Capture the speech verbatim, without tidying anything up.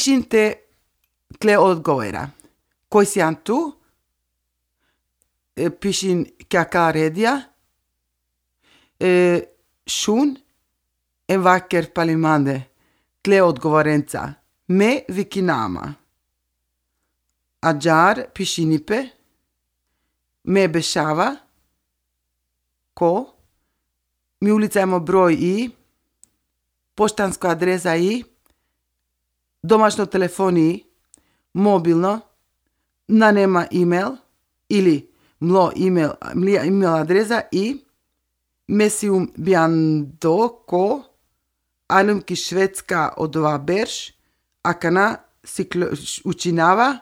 Pishim te tle odgovora. Koji si tu? E, pishim kja ka redja. E, shun en vacker palimande. Tle odgovorenca. Me vikinama. Ajar pishinipe. Me bešava. Ko? Mi ulica imamo broj i. Poštanska adresa i. Domaćno telefon i. Mobilno. Na nema email. Ili mlo email, mlija email adresa i. Mesium biando ko. Anum ki švedska odova berš. Akana si učinava.